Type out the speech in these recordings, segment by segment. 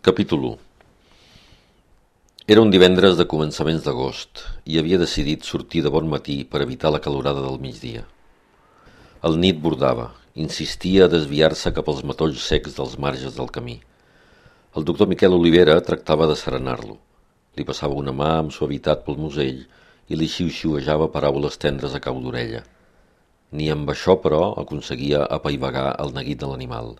Capítol 1. Era un divendres de començaments d'agost i havia decidit sortir de bon matí per evitar la calorada del migdia. El nit bordava, insistia a desviar-se cap als matolls secs dels marges del camí. El doctor Miquel Olivera tractava de serenar-lo. Li passava una mà amb suavitat pel musell i li xiu-xiuejava paraules tendres a cau d'orella. Ni amb això, però, aconseguia apaivagar el neguit de l'animal.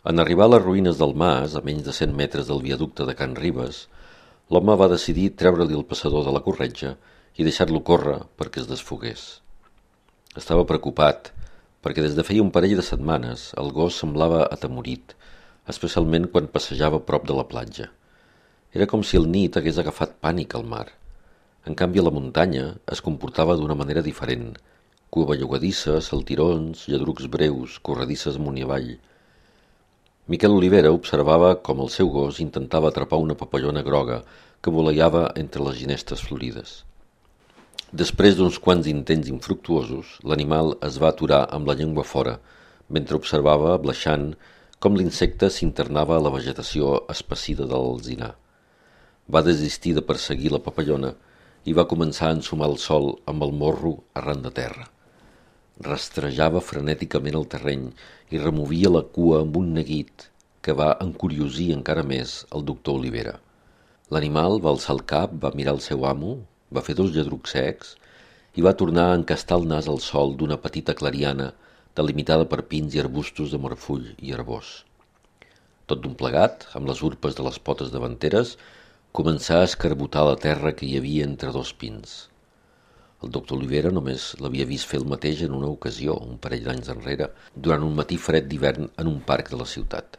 En arribar a les ruïnes del mas, a menys de 100 metres del viaducte de Can Ribes, l'home va decidir treure-li el passador de la corretja i deixar-lo córrer perquè es desfogués. Estava preocupat, perquè des de feia un parell de setmanes el gos semblava atemorit, especialment quan passejava prop de la platja. Era com si el nit hagués agafat pànic al mar. En canvi, a la muntanya es comportava d'una manera diferent. Cua bellugadissa, saltirons, lladrucs breus, corredisses amunt i avall. Miquel Olivera observava com el seu gos intentava atrapar una papallona groga que voleiava entre les ginestes florides. Després d'uns quants intents infructuosos, l'animal es va aturar amb la llengua fora, mentre observava, bleixant, com l'insecte s'internava a la vegetació espessida de l'alzinar. Va desistir de perseguir la papallona i va començar a ensumar el sol amb el morro arran de terra. Rastrejava frenèticament el terreny i removia la cua amb un neguit que va encuriosir encara més el doctor Olivera. L'animal va alçar el cap, va mirar el seu amo, va fer 2 lladrucs secs i va tornar a encastar el nas al sòl d'una petita clariana delimitada per pins i arbustos de morfull i herbós. Tot d'un plegat, amb les urpes de les potes davanteres, començà a escarbotar la terra que hi havia entre 2 pins. El doctor Olivera només l'havia vist fer el mateix en una ocasió, un parell d'anys enrere, durant un matí fred d'hivern en un parc de la ciutat.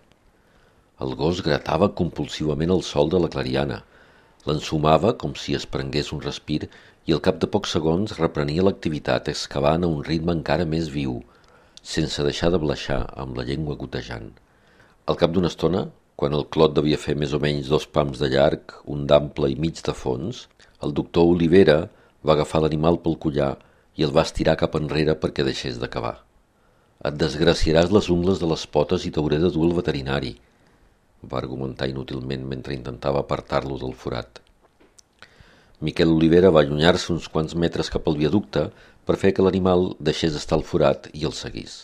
El gos gratava compulsivament el sòl de la clariana, l'ensumava com si es prengués un respir i al cap de pocs segons reprenia l'activitat excavant a un ritme encara més viu, sense deixar de bleixar amb la llengua gotejant. Al cap d'una estona, quan el clot devia fer més o menys 2 pams de llarg, un d'ample i mig de fons, el doctor Olivera va agafar l'animal pel collar i el va estirar cap enrere perquè deixés de cavar. «Et desgraciaràs les ungles de les potes i t'hauré de dur al veterinari», va argumentar inútilment mentre intentava apartar-lo del forat. Miquel Olivera va allunyar-se uns quants metres cap al viaducte per fer que l'animal deixés estar al forat i el seguís.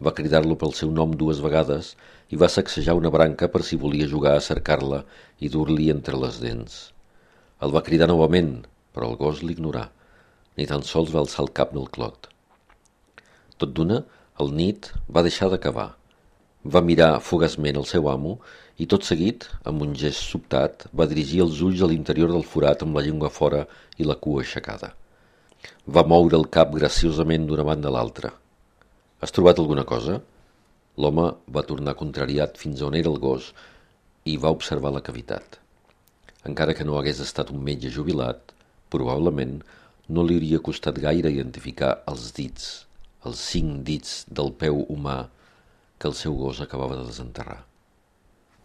Va cridar-lo pel seu nom 2 vegades i va sacsejar una branca per si volia jugar a cercar-la i dur-li entre les dents. El va cridar novament, però el gos l'ignorà, ni tan sols va alçar el cap del clot. Tot d'una, el nit va deixar de cavar. Va mirar fugaçment el seu amo i tot seguit, amb un gest sobtat, va dirigir els ulls a l'interior del forat amb la llengua fora i la cua aixecada. Va moure el cap graciosament d'una banda a l'altra. «Has trobat alguna cosa?» L'home va tornar contrariat fins on era el gos i va observar la cavitat. Encara que no hagués estat un metge jubilat, probablement no li hauria costat gaire identificar els 5 dits del peu humà que el seu gos acabava de desenterrar.